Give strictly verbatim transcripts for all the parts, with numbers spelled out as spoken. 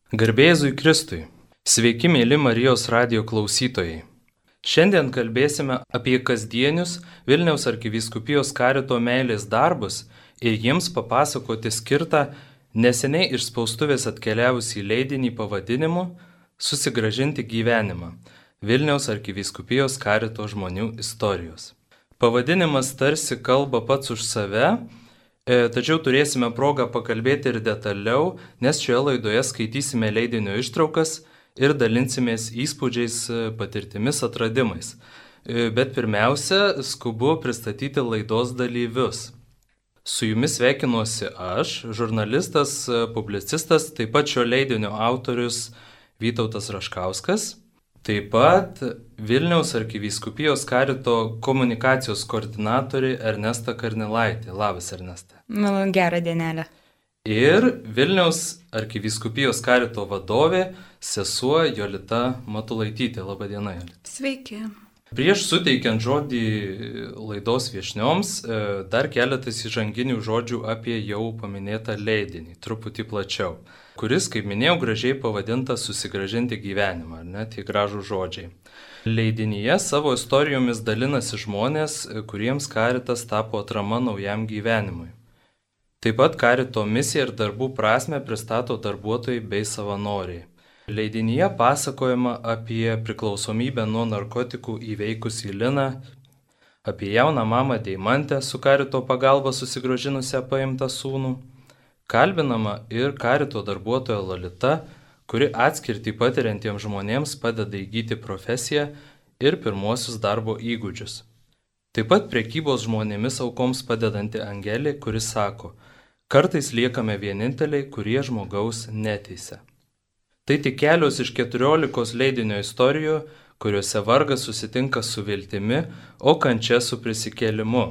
Garbė Jėzui Kristui. Sveiki, mėly Marijos radijo klausytojai. Šiandien kalbėsime apie kasdienius Vilniaus arkivyskupijos karito meilės darbus ir jiems papasakoti skirtą neseniai iš spaustuvės atkeliavusį leidinį pavadinimu Susigrąžinti gyvenimą – Vilniaus arkivyskupijos karito žmonių istorijos. Pavadinimas tarsi kalba pats už save, tačiau turėsime progą pakalbėti ir detaliau, nes šioje laidoje skaitysime leidinio ištraukas ir dalinsimės įspūdžiais, patirtimis, atradimais. Bet pirmiausia, skubu pristatyti laidos dalyvius. Su jumis sveikinuosi aš, žurnalistas, publicistas, taip pat šio leidinio autorius Vytautas Raškauskas, taip pat Vilniaus arkivyskupijos karito komunikacijos koordinatorė Ernesta Karnilaitė. Labas, Ernesta. Gerą dienelę. Ir Vilniaus arkivyskupijos karito vadovė, sesuo Jolita Matulaitytė. Labą dieną, Jolita. Sveiki. Prieš suteikiant žodį laidos viešnioms, dar keletas įžanginių žodžių apie jau paminėtą leidinį, truputį plačiau, kuris, kaip minėjau, gražiai pavadintas Susigrąžinti gyvenimą, ar ne, tie gražų žodžiai. Leidinyje savo istorijomis dalinasi žmonės, kuriems karitas tapo atrama naujam gyvenimui. Taip pat karito misiją ir darbų prasme pristato darbuotojai bei savanoriai. Leidinyje pasakojama apie priklausomybę nuo narkotikų įveikusį Liną, apie jauną mamą Deimantę su karito pagalba susigrąžinusią paimtą sūnų, kalbinama ir karito darbuotoja Lolita, kuri atskirtį patiriantiems žmonėms padeda įgyti profesiją ir pirmuosius darbo įgūdžius. Taip pat prekybos žmonėmis aukoms padedanti Angelė, kuris sako, kartais liekame vieninteliai, kurie žmogaus neteisia. Tai tik kelios iš keturiolikos leidinio istorijų, kuriuose vargas susitinka su viltimi, o kančia su prisikėlimu.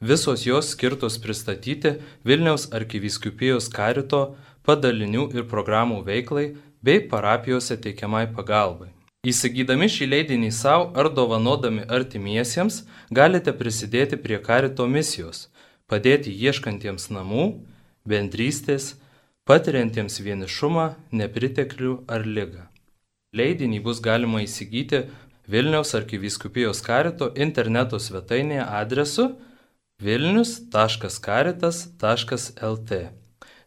Visos jos skirtos pristatyti Vilniaus arkivyskupijos karito padalinių ir programų veiklai bei parapijose teikiamai pagalbai. Įsigydami šį leidinį savo ar dovanodami artimiesiems galite prisidėti prie karito misijos, padėti ieškantiems namų, bendrystės, patiriantiems vienišumą, nepriteklių ar ligą. Leidinį bus galima įsigyti Vilniaus arkivyskupijos karito interneto svetainėje adresu vilnius taškas karitas taškas lt.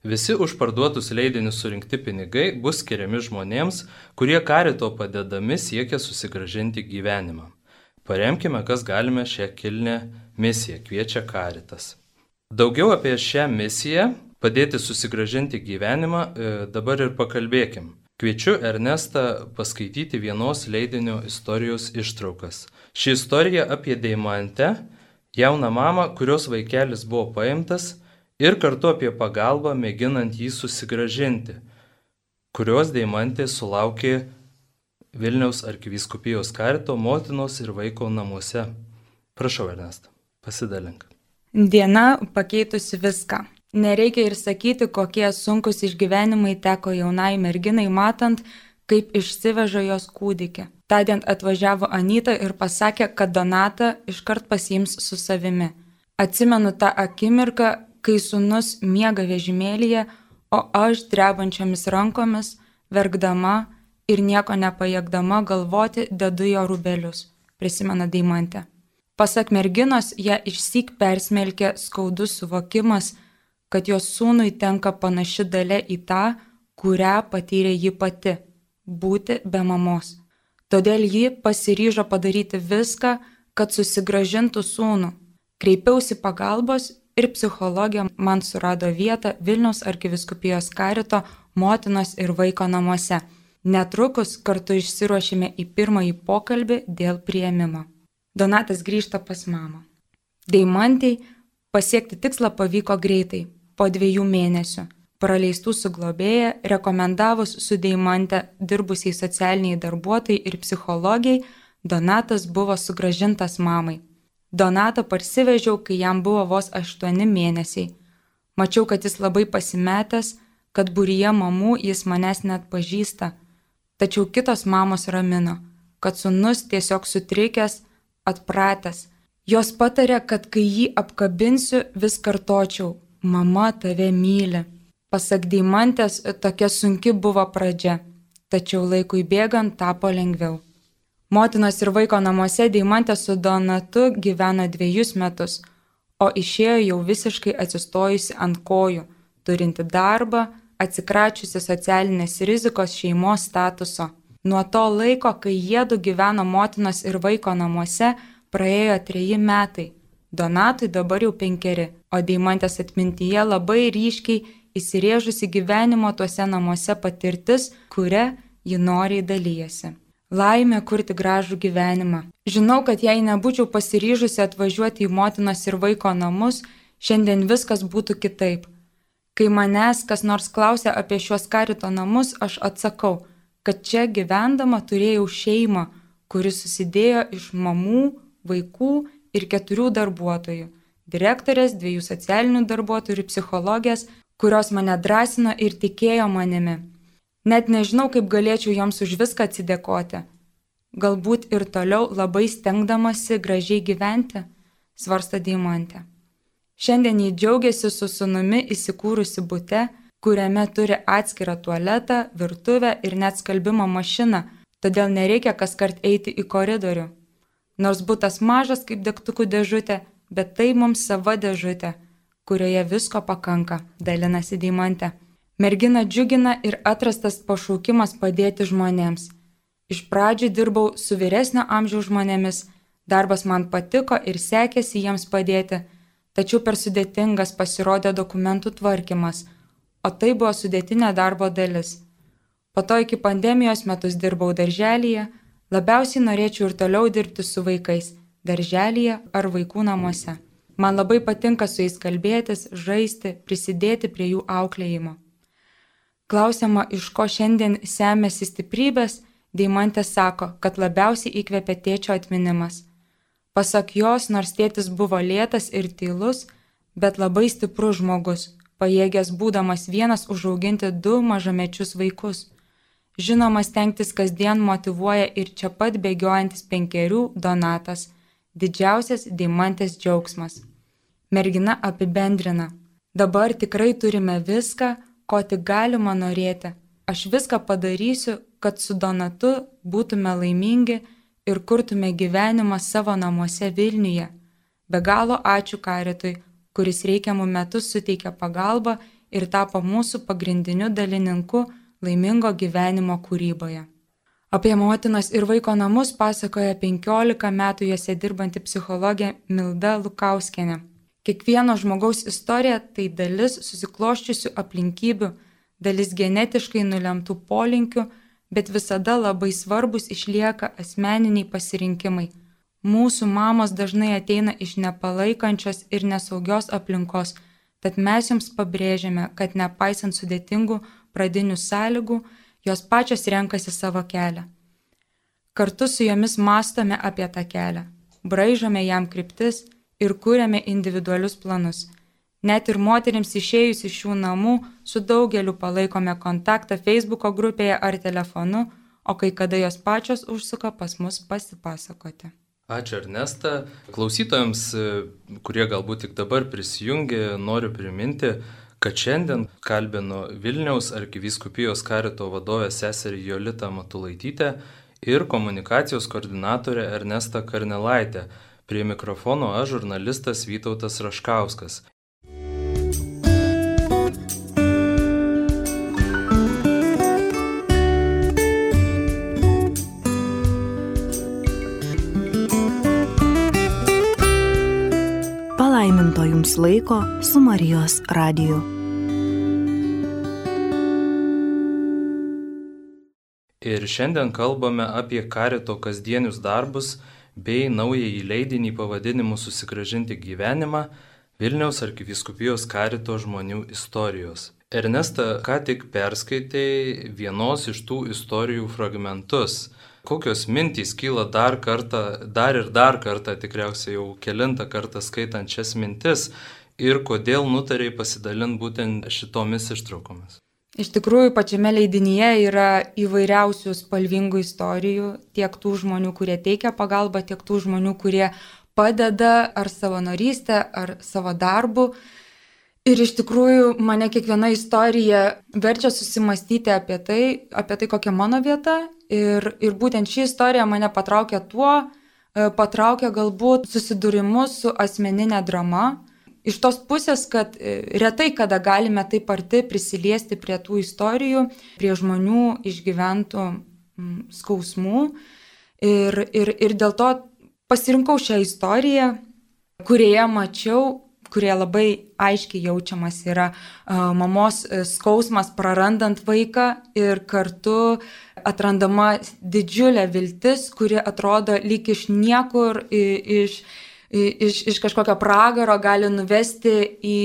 Visi už parduotus leidinius surinkti pinigai bus skiriami žmonėms, kurie karito padedami siekia susigrąžinti gyvenimą. Paremkime, kas galime šią kilnią misiją, kviečia karitas. Daugiau apie šią misiją, padėti susigrąžinti gyvenimą, dabar ir pakalbėkim. Kviečiu Ernestą paskaityti vienos leidinio istorijos ištraukas. Ši istorija apie Deimantę, jauną mamą, kurios vaikelis buvo paimtas, ir kartu apie pagalbą mėginant jį susigrąžinti, kurios Deimantė sulaukė Vilniaus arkivyskupijos karito motinos ir vaiko namuose. Prašau, Ernesta, pasidalink. Diena pakeitusi viską. Nereikia ir sakyti, kokie sunkus išgyvenimai teko jaunai merginai, matant, kaip išsiveža jos kūdikį. Tądien atvažiavo Anyta ir pasakė, kad Donatą iškart pasiims su savimi. Atsimenu tą akimirką, kai sūnus miega vežimėlyje, o aš drebančiomis rankomis, verkdama ir nieko nepajėgdama galvoti, dedu jo rūbelius, prisimena Deimantė. Pasak merginos, ją išsyk persmelkė skaudus suvokimas, kad jos sūnui tenka panaši dalia į tą, kurią patyrė ji pati – būti be mamos. Todėl ji pasiryžo padaryti viską, kad susigrąžintų sūnų. Kreipiausi pagalbos ir psichologija man surado vietą Vilniaus arkivyskupijos karito motinos ir vaiko namuose. Netrukus kartu išsiruošėme į pirmąjį pokalbį dėl priėmimo. Donatas grįžta pas mamą. Deimantei pasiekti tikslą pavyko greitai, po dviejų mėnesių. Praleistų su globėja, rekomendavus su Deimante dirbusiai socialiniai darbuotojai ir psichologijai, Donatas buvo sugrąžintas mamai. Donatą parsivežiau, kai jam buvo vos aštuoni mėnesiai. Mačiau, kad jis labai pasimetęs, kad būryje mamų jis manęs net pažįsta. Tačiau kitos mamos ramino, kad sūnus tiesiog sutrikęs, atpratęs. Jos patarė, kad kai jį apkabinsiu, vis kartočiau, mama tave myli. Pasak Deimantės, tokia sunki buvo pradžia, tačiau laikui bėgant tapo lengviau. Motinos ir vaiko namuose Deimantė su Donatu gyveno dviejus metus, o išėjo jau visiškai atsistojusi ant kojų, turinti darbą, atsikračiusi socialinės rizikos šeimos statuso. Nuo to laiko, kai jiedu gyveno motinos ir vaiko namuose, praėjo treji metai. Donatui dabar jau penkeri, o Deimantės atmintyje labai ryškiai įsirėžusi gyvenimo tuose namuose patirtis, kuria ji noriai dalyjasi. Laimė kurti gražų gyvenimą. Žinau, kad jei nebūčiau pasiryžusi atvažiuoti į motinos ir vaiko namus, šiandien viskas būtų kitaip. Kai manęs kas nors klausia apie šiuos karito namus, aš atsakau, kad čia gyvendama turėjau šeimą, kuri susidėjo iš mamų, vaikų ir keturių darbuotojų – direktorės, dviejų socialinių darbuotojų ir psichologės, kurios mane drąsino ir tikėjo manimi. Net nežinau, kaip galėčiau joms už viską atsidėkoti. Galbūt ir toliau labai stengdamasi gražiai gyventi, svarsto Deimantė. Šiandien jį džiaugiasi su sūnumi įsikūrusi bute, kuriame turi atskirą tualetą, virtuvę ir net skalbimo mašiną, todėl nereikia kaskart eiti į koridorių. Nors butas mažas kaip degtukų dėžutė, bet tai mums sava dėžutė, kurioje visko pakanka, dalinasi Deimantė. Mergina džiugina ir atrastas pašaukimas padėti žmonėms. Iš pradžių dirbau su vyresnio amžiaus žmonėmis, darbas man patiko ir sekėsi jiems padėti, tačiau per sudėtingas pasirodė dokumentų tvarkymas, o tai buvo sudėtinė darbo dalis. Po to iki pandemijos metus dirbau darželyje, labiausiai norėčiau ir toliau dirbti su vaikais, darželyje ar vaikų namuose. Man labai patinka su jais kalbėtis, žaisti, prisidėti prie jų auklėjimo. Klausiama, iš ko šiandien semiasi stiprybės, Deimantė sako, kad labiausiai įkvėpė tėčio atminimas. Pasak jos, nors tėtis buvo lėtas ir tylus, bet labai stiprus žmogus, pajėgęs būdamas vienas užauginti du mažamečius vaikus. Žinoma, stengtis kasdien motyvuoja ir čia pat bėgiojantis penkerių Donatas, didžiausias Deimantės džiaugsmas. Mergina apibendrina. Dabar tikrai turime viską, ko tik galima norėti. Aš viską padarysiu, kad su Donatu būtume laimingi ir kurtume gyvenimą savo namuose Vilniuje. Be galo ačiū karitui, kuris reikiamų metų suteikė pagalbą ir tapo mūsų pagrindiniu dalininku laimingo gyvenimo kūryboje. Apie motinos ir vaiko namus pasakoja penkiolika metų juose dirbanti psichologė Milda Lukauskienė. Kiekvieno žmogaus istorija tai dalis susikloščiusių aplinkybių, dalis genetiškai nulemtų polinkių, bet visada labai svarbus išlieka asmeniniai pasirinkimai. Mūsų mamos dažnai ateina iš nepalaikančios ir nesaugios aplinkos, tad mes jums pabrėžiame, kad nepaisant sudėtingų pradinių sąlygų, jos pačios renkasi savo kelią. Kartu su jomis mąstome apie tą kelią, braižome jam kryptis ir kūrėme individualius planus. Net ir moterims išėjus iš šių namų su daugeliu palaikome kontaktą Facebooko grupėje ar telefonu, o kai kada jos pačios užsuka pas mus pasipasakoti. Ačiū Ernesta. Klausytojams, kurie galbūt tik dabar prisijungė, noriu priminti, kad šiandien kalbinu Vilniaus arkivyskupijos karito vadovę seserį Jolitą Matulaitytę ir komunikacijos koordinatorę Ernestą Karnelaitę. Prie mikrofono aš žurnalistas Vytautas Raškauskas. Palaiminto jums laiko su Marijos radiju. Ir šiandien kalbame apie karito kasdienius darbus bei naująjį leidinį pavadinimu Susigrąžinti gyvenimą Vilniaus arkivyskupijos karito žmonių istorijos. Ernesta, ką tik perskaitei vienos iš tų istorijų fragmentus. Kokios mintys kyla dar kartą, dar ir dar kartą, tikriausiai jau kelintą kartą skaitant šias mintis ir kodėl nutarei pasidalinti būtent šitomis ištraukomis? Iš tikrųjų, pačiame leidinyje yra įvairiausių spalvingų istorijų, tiek tų žmonių, kurie teikia pagalbą, tiek tų žmonių, kurie padeda ar savanorystę, ar savo darbu. Ir iš tikrųjų mane kiekviena istorija verčia susimastyti apie tai, apie tai kokia mano vieta. Ir, ir būtent ši istorija mane patraukia tuo, patraukia galbūt susidūrimu su asmeninė drama. Iš tos pusės, kad retai kada galime taip arti prisiliesti prie tų istorijų, prie žmonių išgyventų skausmų. Ir, ir, ir dėl to pasirinkau šią istoriją, kurioje mačiau, kurie labai aiškiai jaučiamas yra uh, mamos skausmas prarandant vaiką ir kartu atrandama didžiulė viltis, kuri atrodo lyg iš niekur, iš, iš, iš kažkokio pragaro gali nuvesti į,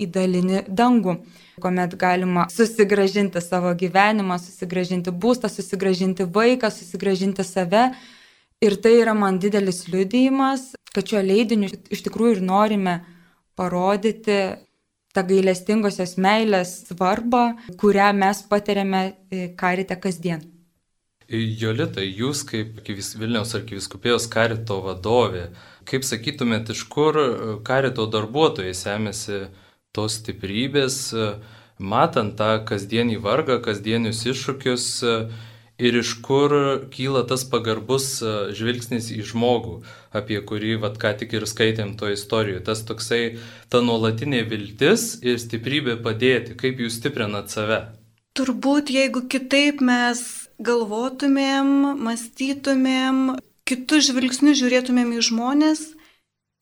į dalinį dangų, kuomet galima susigrąžinti savo gyvenimą, susigrąžinti būstą, susigrąžinti vaiką, susigrąžinti save. Ir tai yra man didelis liudijimas, kad šio leidiniu iš tikrųjų ir norime parodyti tą gailestingosios meilės svarbą, kurią mes patiriame karite kasdien. Jolita, jūs kaip Vilniaus arkivyskupijos karito vadovė, kaip sakytumėt, iš kur karito darbuotojai semėsi tos stiprybės, matant tą kasdienį vargą, kasdienius iššūkius, ir iš kur kyla tas pagarbus žvilgsnis į žmogų, apie kurį vat, ką tik ir skaitėm to istorijoje. Tas toksai, ta nuolatinė viltis ir stiprybė padėti. Kaip jūs stiprinat save? Turbūt, jeigu kitaip mes galvotumėm, mąstytumėm, kitus žvilgsnius žiūrėtumėm į žmonės,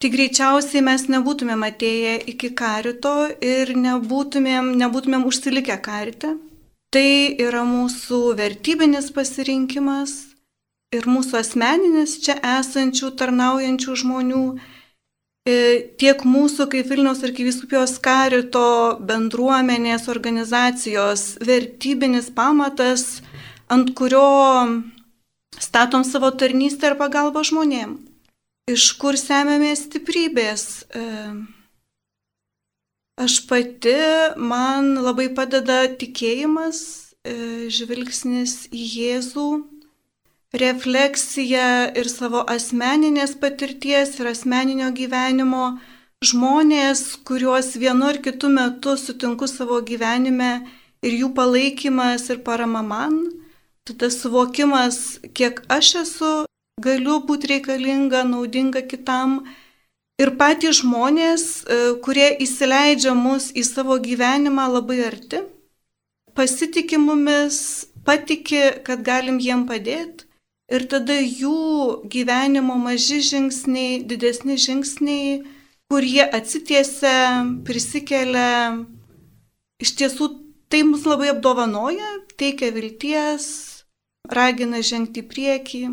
tai greičiausiai mes nebūtumėm atėję iki karito ir nebūtumėm, nebūtumėm užsilikę karite. Tai yra mūsų vertybinis pasirinkimas ir mūsų asmeninis čia esančių, tarnaujančių žmonių, tiek mūsų kaip Vilniaus arkivyskupijos karito bendruomenės organizacijos vertybinis pamatas, ant kurio statom savo tarnystę ir pagalbą žmonėm. Iš kur semiamės stiprybės? Aš pati, man labai padeda tikėjimas, žvilgsnis į Jėzų, refleksija ir savo asmeninės patirties ir asmeninio gyvenimo, žmonės, kuriuos vienu ar kitu metu sutinku savo gyvenime ir jų palaikymas ir parama man, tada suvokimas, kiek aš esu, galiu būti reikalinga, naudinga kitam. Ir patys žmonės, kurie įsileidžia mus į savo gyvenimą labai arti, pasitikė mumis, patiki, kad galim jiem padėti. Ir tada jų gyvenimo maži žingsniai, didesni žingsniai, kur jie atsitiesia, prisikelia, iš tiesų tai mus labai apdovanoja, teikia vilties, ragina žengti į priekį.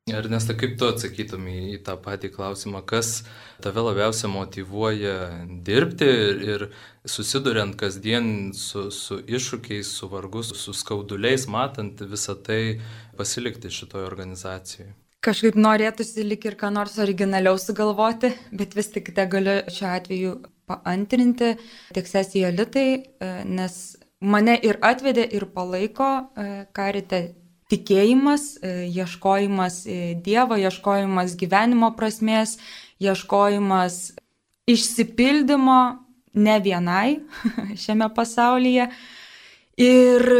Ernesta, kaip tu atsakytum į tą patį klausimą, kas tave labiausiai motyvuoja dirbti ir, ir susiduriant kasdien su, su iššūkiais, su vargus, su skauduliais, matant visą tai pasilikti šitoje organizacijoje? Kažkaip norėtųsi lik ir ką nors originaliau sugalvoti, bet vis tik te galiu šiuo atveju paantrinti tiek sesiją Jolitai, nes mane ir atvedė ir palaiko karite tikėjimas, ieškojimas Dievo, ieškojimas gyvenimo prasmės, ieškojimas išsipildymo ne vienai šiame pasaulyje. Ir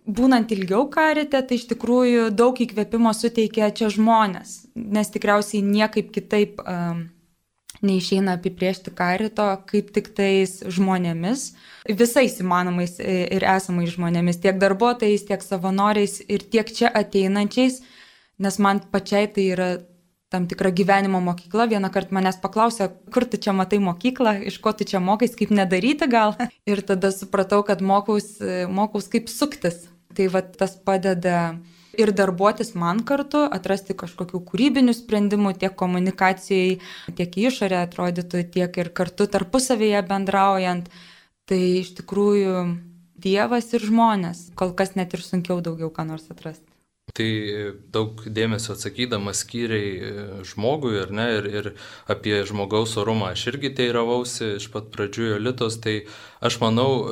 būnant ilgiau karite, tai iš tikrųjų daug įkvėpimo suteikia čia žmonės, nes tikriausiai niekaip kitaip um, neišeina apibrėžti karito, kaip tik tais žmonėmis, visais įmanomais ir esamais žmonėmis, tiek darbuotojais, tiek savanoriais ir tiek čia ateinančiais, nes man pačiai tai yra tam tikra gyvenimo mokykla. Vieną kartą manęs paklausė, kur tu čia matai mokyklą, iš ko tu čia mokais, kaip nedaryti gal. Ir tada supratau, kad mokaus, mokaus kaip suktis. Tai va tas padeda ir darbuotis man kartu, atrasti kažkokių kūrybinių sprendimų tiek komunikacijai, tiek išorė atrodytų, tiek ir kartu tarpusavėje bendraujant. Tai iš tikrųjų Dievas ir žmonės, kol kas net ir sunkiau daugiau ką nors atrasti. Tai daug dėmesio atsakydamas skyriai žmogui, ar ne, ir, ir apie žmogaus orumą aš irgi teiravausi iš pat pradžių Jolitos, tai aš manau,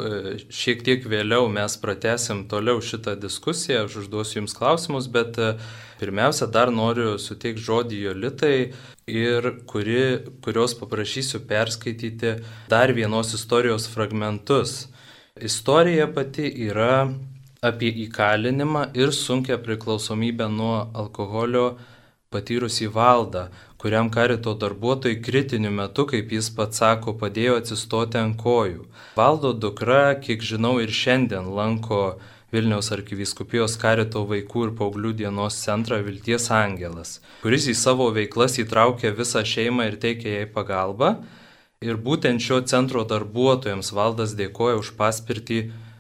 šiek tiek vėliau mes pratęsim toliau šitą diskusiją, aš užduosiu jums klausimus, bet pirmiausia, dar noriu suteikti žodį Jolitai, ir kuri, kurios paprašysiu perskaityti dar vienos istorijos fragmentus. Istorija pati yra apie įkalinimą ir sunkią priklausomybę nuo alkoholio patyrusį Valdą, kuriam karito darbuotojai kritiniu metu, kaip jis pats sako, padėjo atsistoti ant kojų. Valdo dukra, kiek žinau, ir šiandien lanko Vilniaus arkivyskupijos karito vaikų ir paauglių dienos centrą Vilties Angelas, kuris į savo veiklas įtraukia visą šeimą ir teikia jai pagalbą. Ir būtent šio centro darbuotojams Valdas dėkoja už paspirtį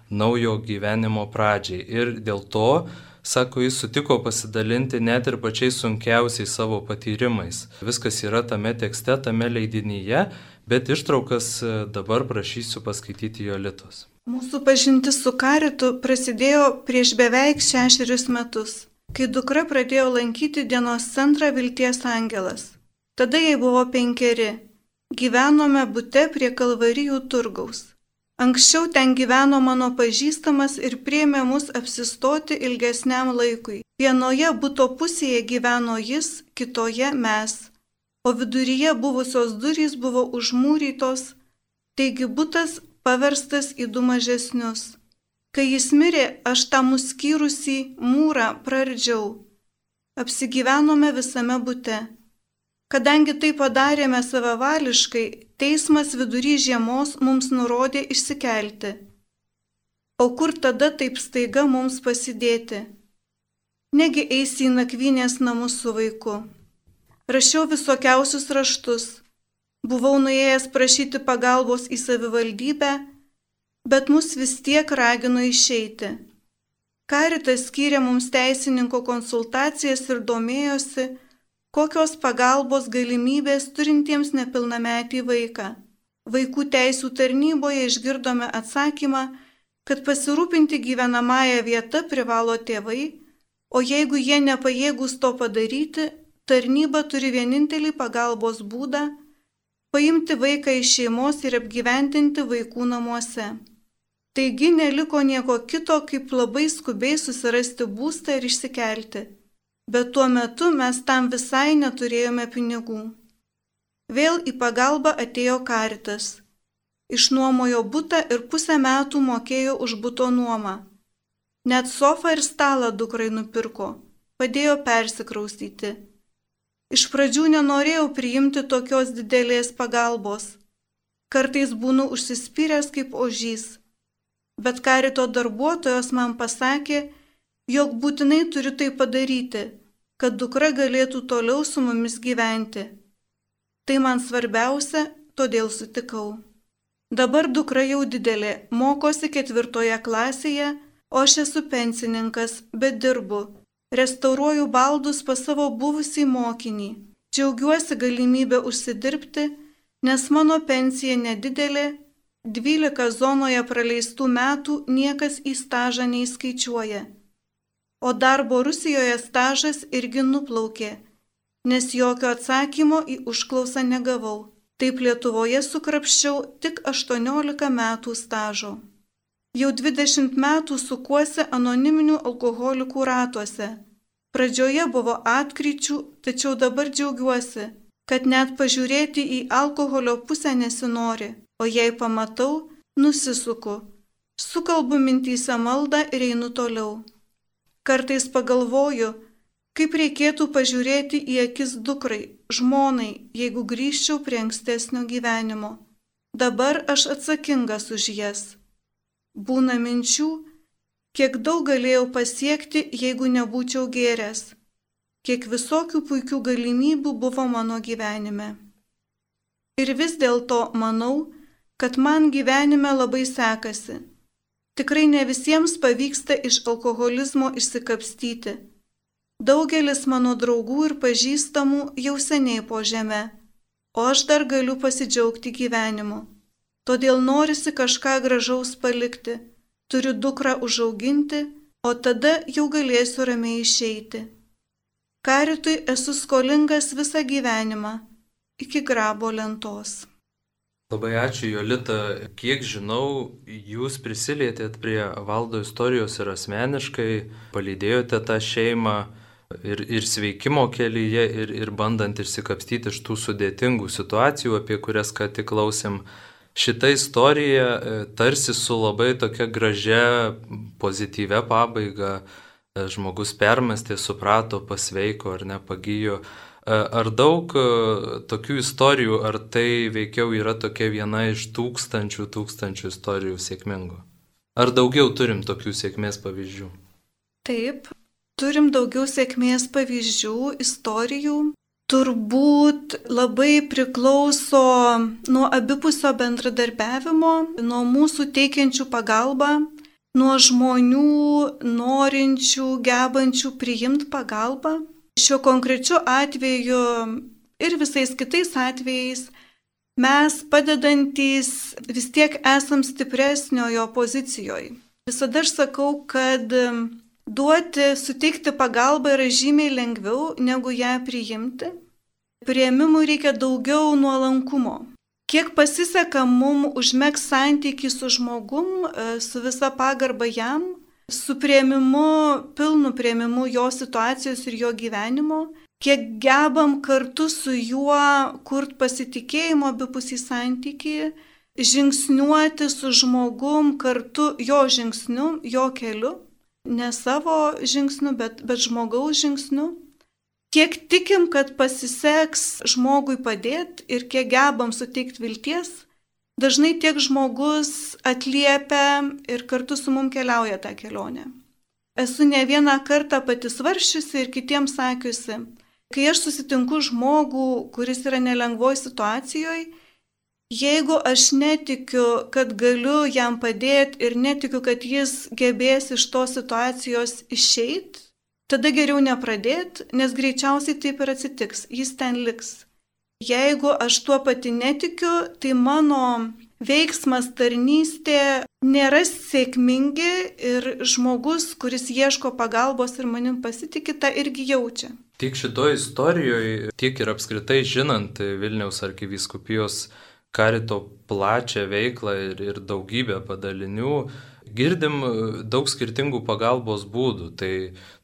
naujo gyvenimo pradžiai. Ir dėl to, sako, jis sutiko pasidalinti net ir pačiais sunkiausiais savo patyrimais. Viskas yra tame tekste, tame leidinyje, bet ištraukas dabar prašysiu paskaityti Jolitos. Mūsų pažintis su karitu prasidėjo prieš beveik šešerius metus, kai dukra pradėjo lankyti dienos centrą Vilties Angelas. Tada jai buvo penkeri. Gyvenome bute prie Kalvarijų turgaus. Anksčiau ten gyveno mano pažįstamas ir priėmė mus apsistoti ilgesniam laikui. Vienoje buto pusėje gyveno jis, kitoje mes, o viduryje buvusios durys buvo užmūrytos, taigi butas paverstas į du mažesnius. Kai jis mirė, aš tą nuskyrusį mūrą praardžiau. Apsigyvenome visame bute. Kadangi tai padarėme savavališkai, teismas vidury žiemos mums nurodė išsikelti. O kur tada taip staiga mums pasidėti? Negi eisi į nakvynės namus su vaiku. Rašiau visokiausius raštus. Buvau nuėjęs prašyti pagalbos į savivaldybę, bet mus vis tiek ragino išeiti. Karitas skyrė mums teisininko konsultacijas ir domėjosi, kokios pagalbos galimybės turintiems nepilnametį vaiką. Vaikų teisų tarnyboje išgirdome atsakymą, kad pasirūpinti gyvenamąją vietą privalo tėvai, o jeigu jie nepajėgūs to padaryti, tarnyba turi vienintelį pagalbos būdą – paimti vaiką iš šeimos ir apgyvendinti vaikų namuose. Taigi neliko nieko kito, kaip labai skubiai susirasti būstą ir išsikelti. Bet tuo metu mes tam visai neturėjome pinigų. Vėl į pagalbą atėjo karitas. Išnuomojo butą ir pusę metų mokėjo už buto nuomą. Net sofą ir stalą dukrai nupirko, padėjo persikraustyti. Iš pradžių nenorėjau priimti tokios didelės pagalbos. Kartais būnu užsispyręs kaip ožys. Bet karito darbuotojos man pasakė, jog būtinai turiu tai padaryti, kad dukra galėtų toliau su mumis gyventi. Tai man svarbiausia, todėl sutikau. Dabar dukra jau didelė, mokosi ketvirtoje klasėje, o aš esu pensininkas, bet dirbu. Restauruoju baldus pas savo buvusį mokinį. Džiaugiuosi galimybę užsidirbti, nes mano pensija nedidelė, dvylika zonoje praleistų metų niekas į stažą neįskaičiuoja. O darbo Rusijoje stažas irgi nuplaukė, nes jokio atsakymo į užklausą negavau. Taip Lietuvoje sukrapščiau tik aštuoniolika metų stažo. Jau dvidešimt metų sukuosi anoniminių alkoholikų ratuose. Pradžioje buvo atkryčių, tačiau dabar džiaugiuosi, kad net pažiūrėti į alkoholio pusę nesinori, o jei pamatau, nusisuku. Sukalbu mintyse maldą ir einu toliau. Kartais pagalvoju, kaip reikėtų pažiūrėti į akis dukrai, žmonai, jeigu grįžčiau prie ankstesnio gyvenimo. Dabar aš atsakingas už jas. Būna minčių, kiek daug galėjau pasiekti, jeigu nebūčiau gėręs. Kiek visokių puikių galimybių buvo mano gyvenime. Ir vis dėlto manau, kad man gyvenime labai sekasi. Tikrai ne visiems pavyksta iš alkoholizmo išsikapstyti. Daugelis mano draugų ir pažįstamų jau seniai po žeme, o aš dar galiu pasidžiaugti gyvenimu. Todėl norisi kažką gražaus palikti, turiu dukrą užauginti, o tada jau galėsiu ramiai išeiti. Karitui esu skolingas visą gyvenimą, iki grabo lentos. Labai ačiū, Jolita. Kiek žinau, jūs prisilietėt prie Valdo istorijos ir asmeniškai palydėjote tą šeimą. ir, ir sveikimo kelyje, ir, ir bandant išsikapstyti iš tų sudėtingų situacijų, apie kurias ką tik klausėm. Šita istorija tarsi su labai tokia gražia, pozityvia pabaiga. Žmogus permestė, suprato, pasveiko ar nepagijo. Ar daug tokių istorijų, ar tai veikiau yra tokia viena iš tūkstančių, tūkstančių istorijų sėkmingų? Ar daugiau turim tokių sėkmės pavyzdžių? Taip, turim daugiau sėkmės pavyzdžių, istorijų. Turbūt labai priklauso nuo abipusio bendradarbiavimo, nuo mūsų teikiančių pagalbą, nuo žmonių norinčių, gebančių priimti pagalbą. Šiuo konkrečiu atveju ir visais kitais atvejais mes padedantys vis tiek esam stipresniojo pozicijoje. Visada aš sakau, kad duoti, suteikti pagalbą yra žymiai lengviau negu ją priimti. Priėmimui reikia daugiau nuolankumo. Kiek pasiseka mum užmegzti santykį su žmogum, su visa pagarba jam, su priėmimu, pilnu priėmimu jo situacijos ir jo gyvenimo, kiek gebam kartu su juo kurti pasitikėjimo abipusį santykį, žingsniuoti su žmogum kartu jo žingsniu, jo keliu, ne savo žingsniu, bet, bet žmogaus žingsniu. Kiek tikim, kad pasiseks žmogui padėti ir kiek gebam suteikti vilties, dažnai tiek žmogus atliepia ir kartu su mum keliauja tą kelionę. Esu ne vieną kartą pati svarsčiusi ir kitiems sakiusi, kai aš susitinku žmogų, kuris yra nelengvoj situacijoje, jeigu aš netikiu, kad galiu jam padėti ir netikiu, kad jis gebės iš tos situacijos išeiti, tada geriau nepradėti, nes greičiausiai taip ir atsitiks, jis ten liks. Jeigu aš tuo pati netikiu, tai mano veiksmas, tarnystė nėra sėkmingi ir žmogus, kuris ieško pagalbos ir manim pasitikė, tą irgi jaučia. Tiek šitoje istorijoje, tiek ir apskritai žinant Vilniaus arkivyskupijos karito plačią veiklą ir, ir daugybę padalinių, girdim daug skirtingų pagalbos būdų. Tai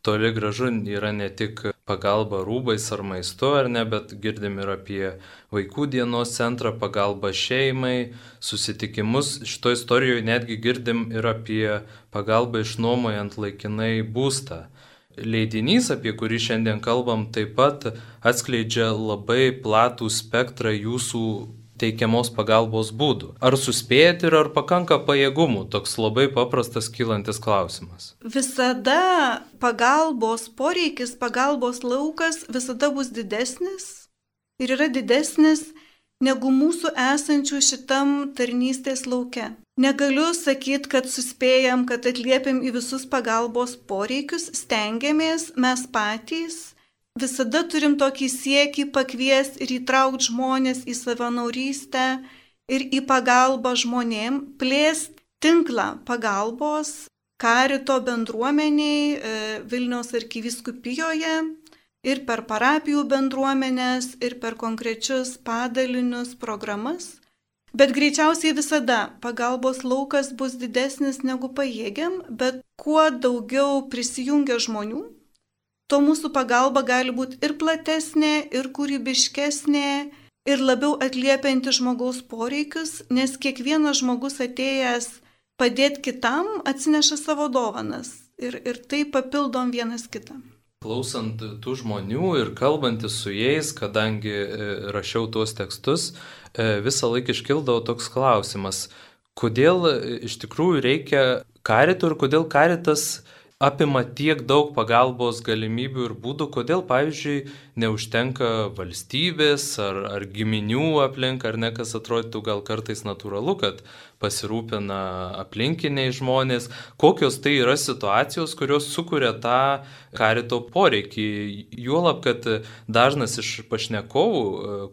toli gražu yra ne tik pagalba rūbais ar maistu, ar ne, bet girdim ir apie vaikų dienos centrą, pagalbą šeimai, susitikimus. Šitoje istorijoje netgi girdim ir apie pagalbą išnuomojant laikinai būstą. Leidinys, apie kurį šiandien kalbam, taip pat atskleidžia labai platų spektrą jūsų teikiamos pagalbos būdų. Ar suspėjate ir ar pakanka pajėgumų? Toks labai paprastas kylantis klausimas. Visada pagalbos poreikis, pagalbos laukas visada bus didesnis ir yra didesnis negu mūsų esančių šitam tarnystės lauke. Negaliu sakyti, kad suspėjam, kad atliepiam į visus pagalbos poreikius, stengiamės mes patys. Visada turim tokį siekį pakviesti ir įtraukti žmonės į savanorystę ir į pagalbą žmonėm, plėsti tinklą pagalbos karito bendruomeniai Vilniaus arkivyskupijoje ir per parapijų bendruomenės ir per konkrečius padalinius programas. Bet greičiausiai visada pagalbos laukas bus didesnis negu pajėgiam, bet kuo daugiau prisijungia žmonių, to mūsų pagalba gali būti ir platesnė, ir kūrybiškesnė, ir labiau atliepianti žmogaus poreikius, nes kiekvienas žmogus atėjęs padėti kitam atsineša savo dovanas ir, ir tai papildom vienas kitą. Klausant tų žmonių ir kalbantis su jais, kadangi rašiau tuos tekstus, visą laiką iškildavo toks klausimas, kodėl iš tikrųjų reikia karito ir kodėl karitas apima tiek daug pagalbos galimybių ir būdų, kodėl, pavyzdžiui, neužtenka valstybės ar, ar giminių aplink, ar ne, kas atrodytų gal kartais natūralu, kad pasirūpina aplinkiniai žmonės. Kokios tai yra situacijos, kurios sukuria tą karito poreikį. Juolab, kad dažnas iš pašnekovų,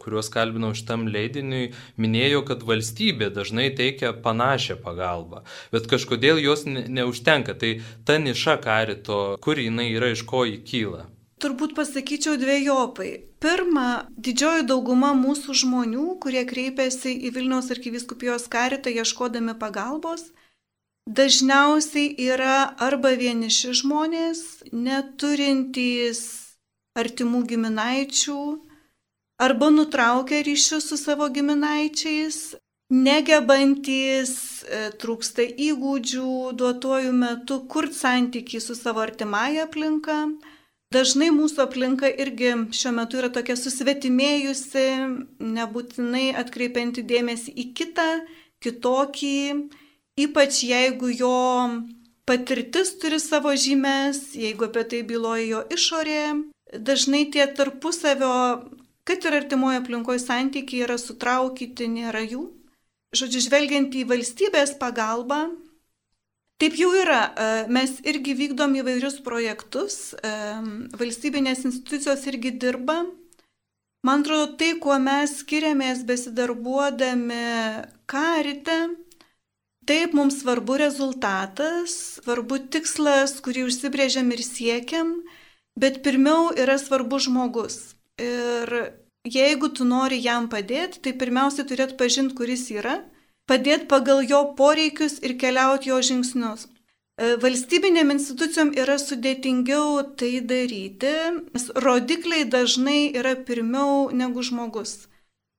kuriuos kalbinau šitam leidiniui, minėjo, kad valstybė dažnai teikia panašią pagalbą, bet kažkodėl jos ne, neužtenka. Tai ta niša karito, kur jinai yra, iš ko jį kyla? Turbūt pasakyčiau dviejopai. Pirma, didžioji dauguma mūsų žmonių, kurie kreipiasi į Vilniaus arkivyskupijos karitą ieškodami pagalbos, dažniausiai yra arba vieniši žmonės, neturintys artimų giminaičių, arba nutraukę ryšius su savo giminaičiais, negebantys, trūksta įgūdžių duotuoju metu kurti santykį su savo artimąja aplinka. Dažnai mūsų aplinka irgi šiuo metu yra tokia susvetimėjusi, nebūtinai atkreipianti dėmesį į kitą, kitokį, ypač jeigu jo patirtis turi savo žymes, jeigu apie tai byloja jo išorė. Dažnai tie tarpusavio, kad ir artimoje aplinkoje santykiai yra sutraukyti, nėra jų. Žodžiu, žvelgiant į valstybės pagalbą, taip jau yra, mes irgi vykdom įvairius projektus, valstybinės institucijos irgi dirba. Man atrodo, tai, kuo mes skiriamės besidarbuodami Karite, taip mums svarbu rezultatas, svarbu tikslas, kurį užsibrėžiam ir siekiam, bet pirmiau yra svarbu žmogus. Ir jeigu tu nori jam padėti, tai pirmiausia turėt pažinti, kuris yra, padėti pagal jo poreikius ir keliauti jo žingsnius. Valstybinėm institucijom yra sudėtingiau tai daryti, nes rodikliai dažnai yra pirmiau negu žmogus.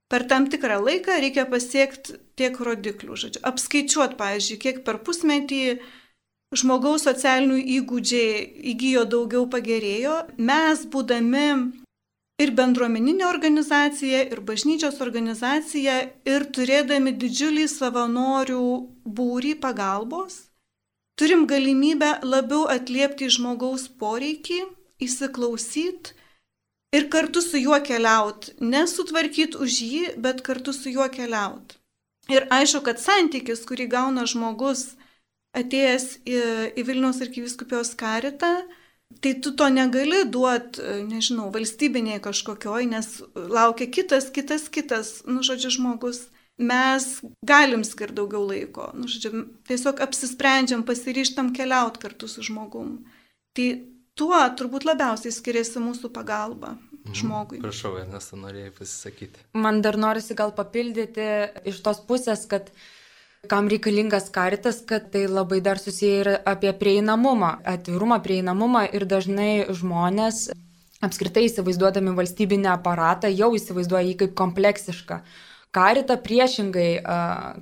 Per tam tikrą laiką reikia pasiekti tiek rodiklių, žodžiu, apskaičiuoti, pavyzdžiui, kiek per pusmetį žmogaus socialinių įgūdžiai įgyjo daugiau, pagerėjo. Mes, būdami ir bendruomeninė organizacija, ir bažnyčios organizacija, ir turėdami didžiulį savanorių būrį pagalbos, turim galimybę labiau atliepti žmogaus poreikį, įsiklausyti ir kartu su juo keliauti. Nesutvarkyti už jį, bet kartu su juo keliauti. Ir aišku, kad santykis, kurį gauna žmogus atėjęs į, į Vilniaus arkivyskupijos Karitą, tai tu to negali duoti, nežinau, valstybiniai kažkokioj, nes laukia kitas, kitas, kitas, nu, žodžiu, žmogus. Mes galim skirti daugiau laiko, nu, žodžiu, tiesiog apsisprendžiam, pasiryžtam keliauti kartu su žmogum. Tai tuo turbūt labiausiai skiriasi mūsų pagalba žmogui. Mhm. Prašau, Ernesta, norėjai pasisakyti. Man dar norisi gal papildyti iš tos pusės, kad kam reikalingas Karitas, kad tai labai dar susiję ir apie prieinamumą, atvirumą, prieinamumą ir dažnai žmonės apskritai įsivaizduodami valstybinį aparatą jau įsivaizduoja jį kaip kompleksišką. Karitą priešingai,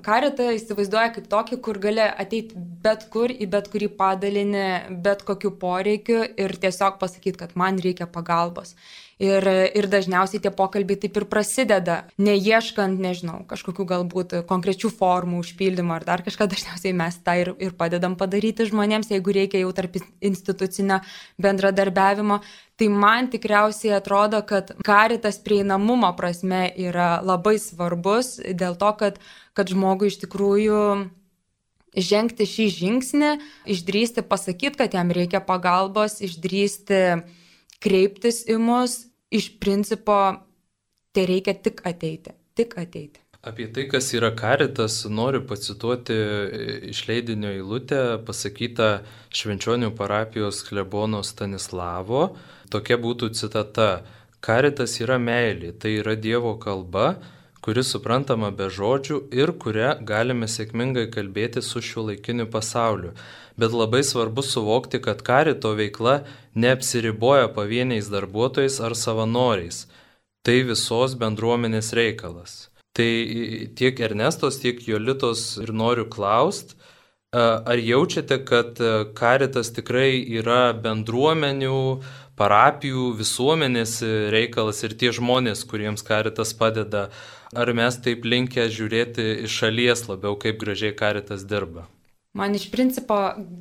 Karitą įsivaizduoja kaip tokį, kur gali ateiti bet kur, į bet kurį padalinį, bet kokiu poreikiu ir tiesiog pasakyti, kad man reikia pagalbos. Ir, ir dažniausiai tie pokalbiai taip ir prasideda, neieškant, nežinau, kažkokių galbūt konkrečių formų užpildymo ar dar kažką, dažniausiai mes tą ir, ir padedam padaryti žmonėms, jeigu reikia jau tarp institucinio bendradarbiavimo. Tai man tikriausiai atrodo, kad Karitas prieinamumo prasme yra labai svarbus dėl to, kad, kad žmogui iš tikrųjų žengti šį žingsnį, išdrįsti pasakyti, kad jam reikia pagalbos, išdrįsti kreiptis į mus, iš principo tai reikia tik ateiti, tik ateiti. Apie tai, kas yra Karitas, noriu pacituoti iš leidinio eilutę pasakytą Švenčionių parapijos klebono Stanislavo. Tokia būtų citata. Karitas yra meilė, tai yra Dievo kalba, kuri suprantama be žodžių ir kurią galime sėkmingai kalbėti su šiuolaikiniu pasauliu. Bet labai svarbu suvokti, kad Karito veikla neapsiriboja pavieniais darbuotojais ar savanoriais. Tai visos bendruomenės reikalas. Tai tiek Ernestos, tiek Jolitos ir noriu klaust, ar jaučiate, kad Karitas tikrai yra bendruomenių, parapijų, visuomenės reikalas ir tie žmonės, kuriems Karitas padeda, ar mes taip linkę žiūrėti iš šalies labiau, kaip gražiai Karitas dirba? Man iš principo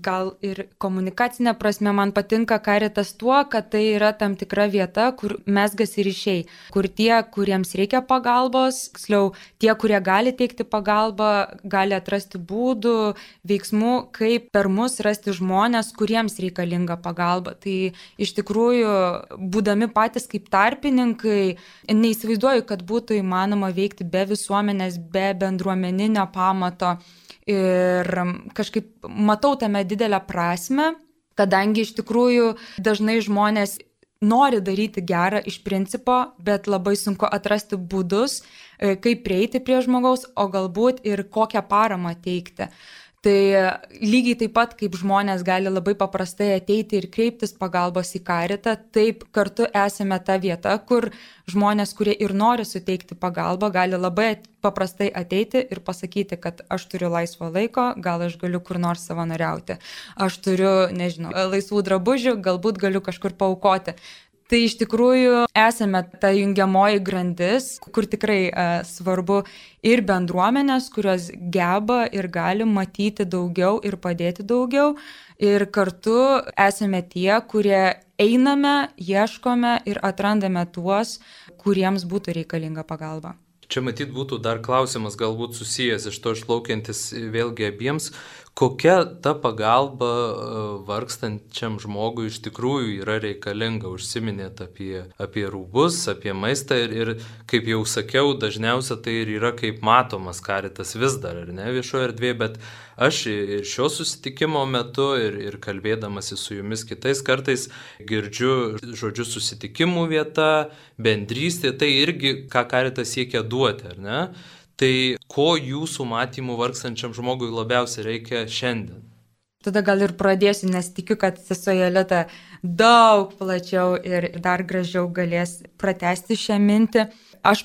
gal ir komunikacinė prasme man patinka Karitas tuo, kad tai yra tam tikra vieta, kur mezgasi ryšiai, kur tie, kuriems reikia pagalbos, tiksliau, tie, kurie gali teikti pagalbą, gali atrasti būdų, veiksmų, kaip per mus rasti žmonės, kuriems reikalinga pagalba. Tai iš tikrųjų, būdami patys kaip tarpininkai, neįsivaizduoju, kad būtų įmanoma veikti be visuomenės, be bendruomeninio pamato. Ir kažkaip matau tame didelę prasmę, kadangi iš tikrųjų dažnai žmonės nori daryti gerą iš principo, bet labai sunku atrasti būdus, kaip prieiti prie žmogaus, o galbūt ir kokią paramą teikti. Tai lygiai taip pat, kaip žmonės gali labai paprastai ateiti ir kreiptis pagalbos į karitą, taip kartu esame ta vieta, kur žmonės, kurie ir nori suteikti pagalbą, gali labai paprastai ateiti ir pasakyti, kad aš turiu laisvo laiko, gal aš galiu kur nors savanoriauti, aš turiu, nežinau, laisvų drabužių, galbūt galiu kažkur paaukoti. Tai iš tikrųjų esame ta jungiamoji grandis, kur tikrai e, svarbu ir bendruomenės, kurios geba ir gali matyti daugiau ir padėti daugiau. Ir kartu esame tie, kurie einame, ieškome ir atrandame tuos, kuriems būtų reikalinga pagalba. Čia matyt būtų dar klausimas galbūt susijęs iš to išplaukiantis vėlgi abiems, kokia ta pagalba vargstančiam žmogui iš tikrųjų yra reikalinga. Užsiminėt apie, apie rūbus, apie maistą ir, ir kaip jau sakiau, dažniausia tai ir yra kaip matomas karitas vis dar, ar ne, viešoje erdvėje, bet aš ir šio susitikimo metu ir, ir kalbėdamasi su jumis kitais kartais girdžiu žodžius susitikimų vieta, bendrystė, tai irgi ką karitas siekia duoti, ar ne? Tai ko jūsų matymų vargstančiam žmogui labiausiai reikia šiandien? Tada gal ir pradėsiu, nes tikiu, kad sesuo Jolita daug plačiau ir dar gražiau galės pratęsti šią mintį. Aš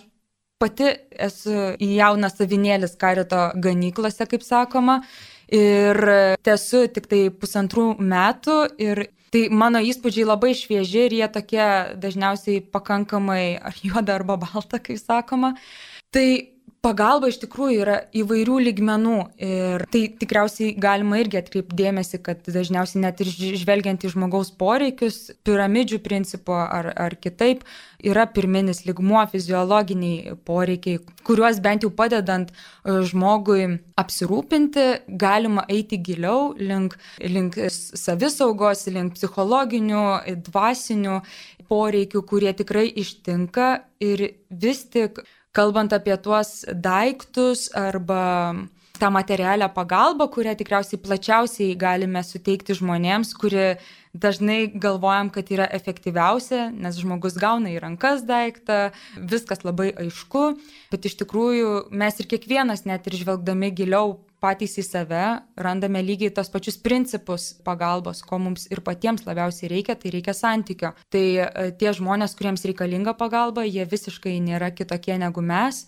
pati esu jaunas avinėlis karito ganyklose, kaip sakoma, ir esu tik tai pusantrų metų ir tai mano įspūdžiai labai švieži ir jie tokie dažniausiai pakankamai ar juoda arba balta, kaip sakoma. Tai pagalba iš tikrųjų yra įvairių lygmenų ir tai tikriausiai galima irgi atkreipti dėmesį, kad dažniausiai net ir žvelgiant į žmogaus poreikius, piramidžių principo ar, ar kitaip, yra pirminis lygmuo fiziologiniai poreikiai, kuriuos bent jau padedant žmogui apsirūpinti, galima eiti giliau link, link savisaugos, link psichologinių, dvasinių poreikių, kurie tikrai ištinka ir vis tik kalbant apie tuos daiktus arba tą materialią pagalbą, kurią tikriausiai plačiausiai galime suteikti žmonėms, kuri dažnai galvojam, kad yra efektyviausia, nes žmogus gauna į rankas daiktą, viskas labai aišku, bet iš tikrųjų mes ir kiekvienas net ir žvelgdami giliau patys į save, randame lygiai tos pačius principus pagalbos, ko mums ir patiems labiausiai reikia, tai reikia santykio. Tai tie žmonės, kuriems reikalinga pagalba, jie visiškai nėra kitokie negu mes.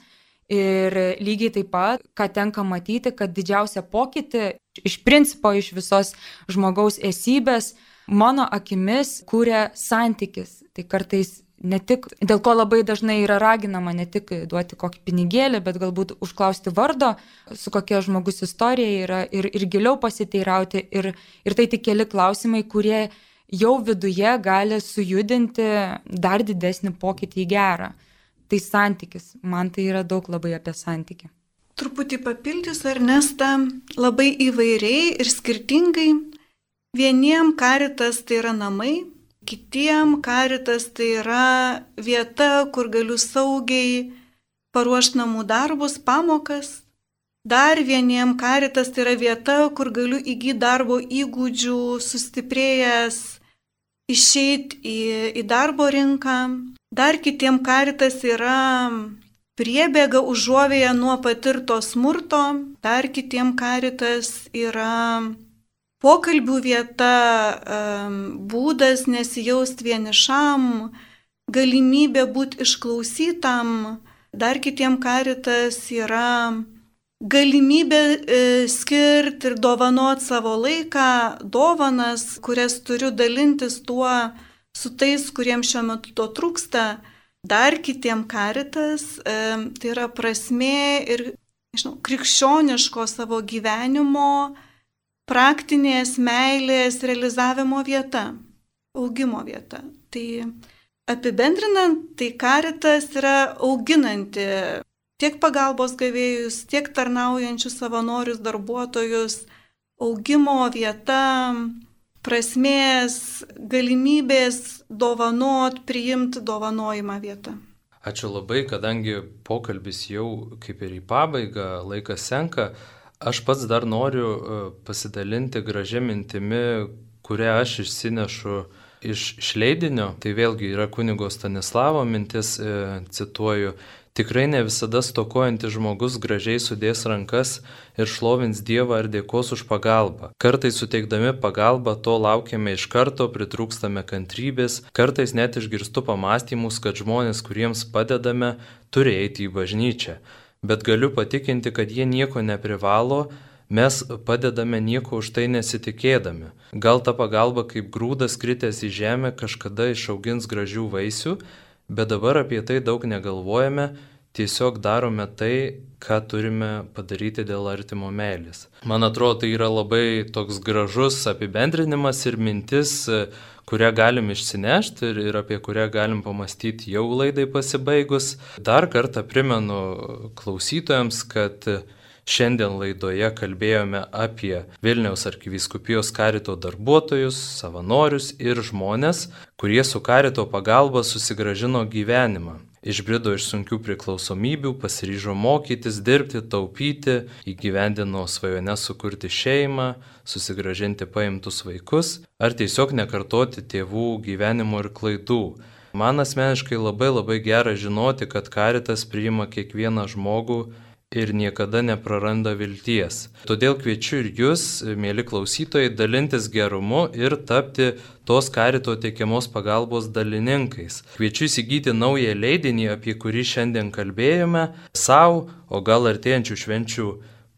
Ir lygiai taip pat, ką tenka matyti, kad didžiausia pokytį iš principo, iš visos žmogaus esybės, mano akimis kūrė santykis. Tai kartais ne tik, dėl ko labai dažnai yra raginama ne tik duoti kokį pinigėlį, bet galbūt užklausti vardo, su kokia žmogus istorija yra ir, ir giliau pasiteirauti. Ir, ir tai tik keli klausimai, kurie jau viduje gali sujudinti dar didesnį pokytį į gerą. Tai santykis. Man tai yra daug labai apie santykį. Truputį papildys Ernestą labai įvairiai ir skirtingai. Vieniem karitas tai yra namai, kitiem karitas tai yra vieta, kur galiu saugiai paruošti namų darbus, pamokas. Dar vieniem karitas tai yra vieta, kur galiu įgyti darbo įgūdžių, sustiprėjęs, išeiti į, į darbo rinką. Dar kitiem karitas yra priebėga užuovėja nuo patirto smurto. Dar kitiem karitas yra pokalbių vieta, būdas nesijausti vienišam, galimybė būti išklausytam. Dar kitiem karitas yra galimybė skirti ir dovanoti savo laiką, dovanas, kurias turiu dalintis tuo su tais, kuriems šiuo metu to trūksta. Dar kitiem karitas tai yra prasmė ir, nežinau, krikščioniško savo gyvenimo, praktinės meilės realizavimo vieta, augimo vieta. Tai apibendrinant, tai karitas yra auginanti tiek pagalbos gavėjus, tiek tarnaujančius savanorius, darbuotojus, augimo vieta, prasmės, galimybės dovanot, priimti dovanojimą vietą. Ačiū labai, kadangi pokalbis jau kaip ir į pabaigą, laikas senka. Aš pats dar noriu pasidalinti gražią mintimi, kurią aš išsinešu iš, iš leidinio. Tai vėlgi yra kunigo Stanislavo mintis, e, cituoju. Tikrai ne visada stokojantis žmogus gražiai sudės rankas ir šlovins Dievą ar dėkos už pagalbą. Kartais suteikdami pagalbą to laukiame iš karto, pritrūkstame kantrybės, kartais net išgirstu pamastymus, kad žmonės, kuriems padedame, turi eiti į bažnyčią. Bet galiu patikinti, kad jie nieko neprivalo, mes padedame nieko už tai nesitikėdami. Gal ta pagalba kaip grūdas kritęs į žemę kažkada išaugins gražių vaisių, bet dabar apie tai daug negalvojame, tiesiog darome tai, ką turime padaryti dėl artimo meilės. Man atrodo, tai yra labai toks gražus apibendrinimas ir mintis, kurią galim išsinešti ir, ir apie kurią galim pamastyti jau laidai pasibaigus. Dar kartą primenu klausytojams, kad šiandien laidoje kalbėjome apie Vilniaus arkivyskupijos karito darbuotojus, savanorius ir žmonės, kurie su karito pagalba susigrąžino gyvenimą. Išbrido iš sunkių priklausomybių, pasiryžo mokytis, dirbti, taupyti, įgyvendino svajones sukurti šeimą, susigrąžinti paimtus vaikus ar tiesiog nekartoti tėvų gyvenimo ir klaidų. Man asmeniškai labai labai gera žinoti, kad karitas priima kiekvieną žmogų ir niekada nepraranda vilties. Todėl kviečiu ir jūs, mėly klausytojai, dalintis gerumu ir tapti tos karito teikiamos pagalbos dalininkais. Kviečiu įsigyti naują leidinį, apie kurį šiandien kalbėjome, savo, o gal artėjančių švenčių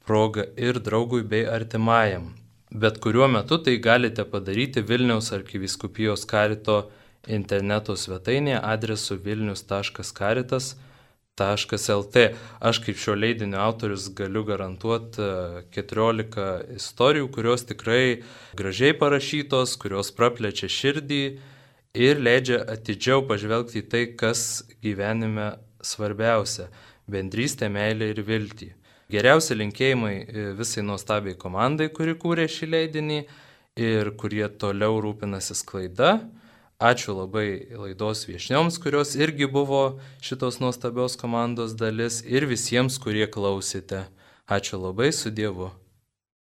proga ir draugui bei artimajam. Bet kuriuo metu tai galite padaryti Vilniaus arkivyskupijos karito interneto svetainėje adresu vilnius taškas karitas taškas lt. Aš kaip šio leidinio autorius galiu garantuoti keturiolika istorijų, kurios tikrai gražiai parašytos, kurios praplečia širdį ir leidžia atidžiau pažvelgti į tai, kas gyvenime svarbiausia – bendrystė, meilė ir viltį. Geriausi linkėjimai visai nuostabiai komandai, kuri kūrė šį leidinį ir kurie toliau rūpinasi sklaida. Ačiū labai laidos viešnioms, kurios irgi buvo šitos nuostabios komandos dalis ir visiems, kurie klausėte. Ačiū labai, su Dievu.